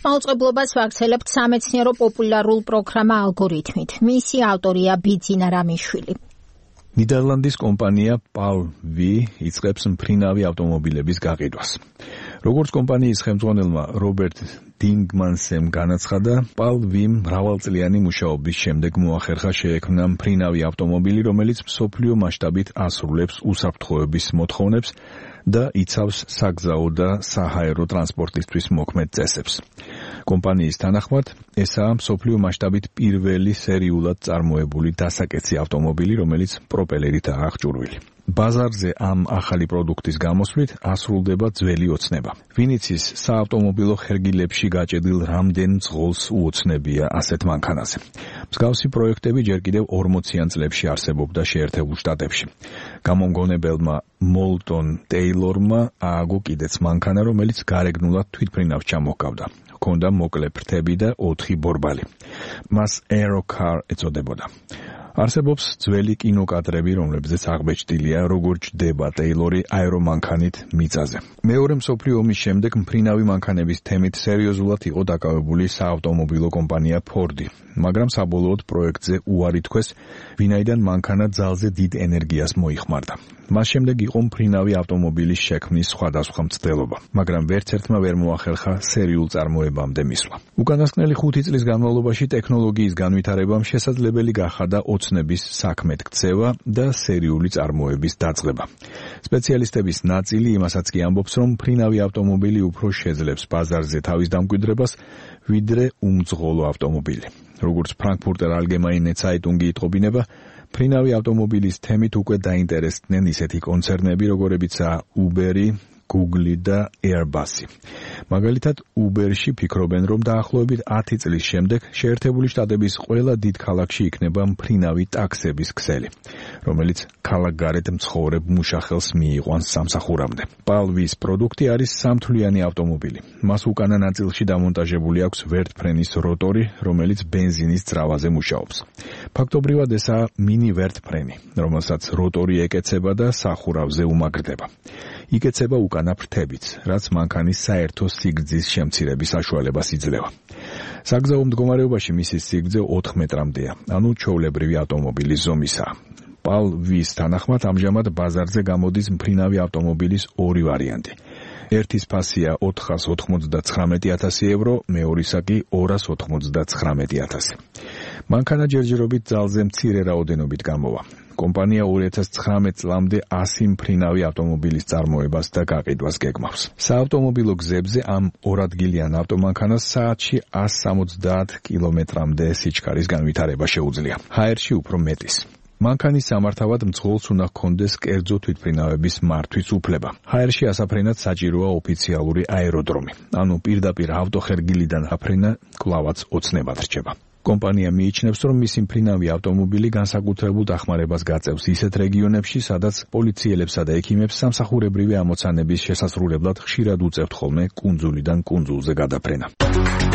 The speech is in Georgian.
მაუწყებლობას ვაგრძელებთ სამეცნიერო პოპულარულ პროგრამა ალგორითმით. მისი ავტორია ბიძინა რამიშვილი. ნიდერლანდის კომპანია PAL-V იწყებს მფრინავი ავტომობილების გაყიდვას. როგორც კომპანიის ხელმძღვანელმა რობერტ დინგმანსემ განაცხადა, PAL-V-მ მრავალწლიანი მუშაობის შემდეგ მოახერხა შეექმნა მფრინავი ავტომობილი, რომელიც მსოფლიო მასშტაბით ასრულებს უსაფრთხოების მოთხოვნებს და იცავს საგზაო და საჰაერო ტრანსპორტისთვის მოქმედ წესებს. კომპანიის თანახმად, ესაა მსოფლიო მასშტაბით პირველი სერიულად წარმოებული დასაკეცი ავტომობილი, რომელიც პროპელერითაა აღჭურვილი. ბაზარზე ამ ახალი პროდუქტის გამოსვლით ასრულდება ძველი ოცნება. ვინიცის საავტომობილო ხერგილებში გაჭედილ რამდენ მძღოლს უოცნებია ასეთ მანქანაზე. მსგავსი პროექტები ჯერ კიდევ 40-იან წლებში არსებობდა შეერთებულ შტატებში. გამომგონებელმა მოლტონ ტეილორმა ააგო კიდეც მანქანა, რომელიც გარეგნულად თვითმფრინავს ჩამოჰგავდა. ჰქონდა მოკლე ფრთები და 4 ბორბალი. მას Aerocar ეწოდებოდა. არსებობს ძველი კინოკადრები, რომლებზეც აღბეჭდილია, როგორ ჯდება ტეილორი აერომანქანით მიწაზე. მეორე მსოფლიო ომის შემდეგ მფრინავი მანქანების თემით სერიოზულად იყო დაკავებული საავტომობილო კომპანია Ford-ი, მაგრამ საბოლოოდ პროექტზე უარი თქვეს, ვინაიდან მანქანა ძალზე დიდ ენერგიას მოიხმარდა. მას შემდეგ იყო მფრინავი ავტომობილის შექმნის სხვადასხვა მცდელობა, მაგრამ ვერც ერთმა ვერ მოახერხა სერიულ წარმოებამდე მისვლა. უკანასკნელი 5 წლის განმავლობაში ტექნოლოგიის განვითარებამ შესაძლებელი გახადა ოცნების საქმედ ქცევა და სერიული წარმოების დაწყება. სპეციალისტების ნაწილი იმასაც კი ამბობს, რომ მფრინავი ავტომობილი უფრო შეძლებს ბაზარზე თავის დამკვიდრებას, ვიდრე უმძღოლო ავტომობილი. როგორც Frankfurter Allgemeine Zeitung იტყობინება, მფრინავი ავტომობილის თემით უკვე დაინტერესდნენ ისეთი კონცერნები, როგორებიცაა Uber-ი, Google და Airbus-ი. მაგალითად, Uber-ში ფიქრობენ, რომ დაახლოებით 10 წლის შემდეგ შეერთებული შტატების ყველა დიდ ქალაქში იქნება მფრინავი ტაქსების ქსელი, რომელიც ქალაქგარეთ მცხოვრებ მუშახელს მიიყვანს სამსახურამდე. PAL-V-ის პროდუქტი არის სამთვლიანი ავტომობილი. მას უკანა ნაწილში დამონტაჟებული აქვს ვერტფრენის როტორი, რომელიც ბენზინის ძრავაზე მუშაობს. ფაქტობრივად ესაა მინი ვერტფრენი, რომელსაც როტორი ეკეცება და სახურავზე უმაგრდება. იკეცება უკანა ფრთებიც, რაც მანქანის საერთო სიგრძის შემცირების საშუალებას იძლევა. საგზაო მდგომარეობაში მისი სიგრძე 4 მეტრამდეა, ანუ ჩვეულებრივი ავტომობილის ზომისაა. PAL-V-ის თანახმად ამჟამად ბაზარზე გამოდის მფრინავი ავტომობილის 2 ვარიანტი. ერთის ფასია 499,000 евро, მეორისა კი 299,000. მანქანა ჯერჯერობით ძალზე მცირე რაოდენობით გამოვა. კომპანია 2019 წლამდე 100 მფრინავი ავტომობილის წარმოებას და გაყიდვას გეგმავს. საავტომობილო გზებზე ამ 2 ადგილიან ავტომანქანას საათში 170 კილომეტრამდე სიჩქარის განვითარება შეუძლია. ჰაერში უფრო მეტის. მანქანის სამართავად მძღოლს უნდა ჰქონდეს კერძო თვითმფრინავების მართვის უფლება. ჰაერში ასაფრენად საჭიროა ოფიციალური აეროდრომი, ანუ პირდაპირ ავტოხერგილიდან აფრენა კვლავაც ოცნებად რჩება. კომპანია მიიჩნევს, რომ მისი მფრინავი ავტომობილი განსაკუთრებულ დახმარებას გაწევს ისეთ რეგიონებში, სადაც პოლიციელებსა და ექიმებს სამსახურებრივი ამოცანების შესასრულებლად ხშირად უწევთ ხოლმე კუნძულიდან კუნძულზე გადაფრენა.